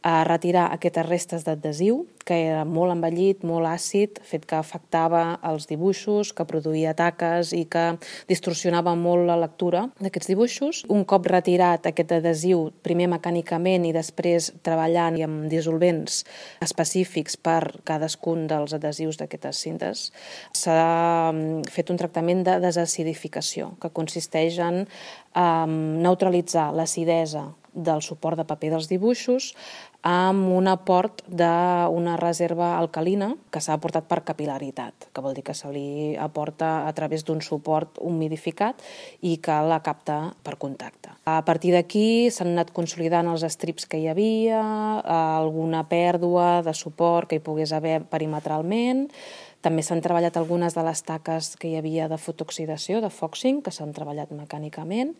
a retirar aquestes restes d'adhesiu, que era molt envellit, molt àcid, fet que afectava els dibuixos, que produïa taques i que distorsionava molt la lectura d'aquests dibuixos. Un cop retirat aquest adhesiu, primer mecànicament i després treballant amb dissolvents específics per cadascun dels adhesius d'aquestes cintes, s'ha fet un tractament de desacidificació, que consisteix en neutralitzar l'acidesa del suport de paper dels dibuixos amb un aport d'una reserva alcalina que s'ha aportat per capil·laritat, que vol dir que se li aporta a través d'un suport humidificat i que la capta per contacte. A partir d'aquí s'han anat consolidant els estrips que hi havia, alguna pèrdua de suport que hi pogués haver perimetralment. També s'han treballat algunes de les taques que hi havia de fotooxidació, de foxing, que s'han treballat mecànicament,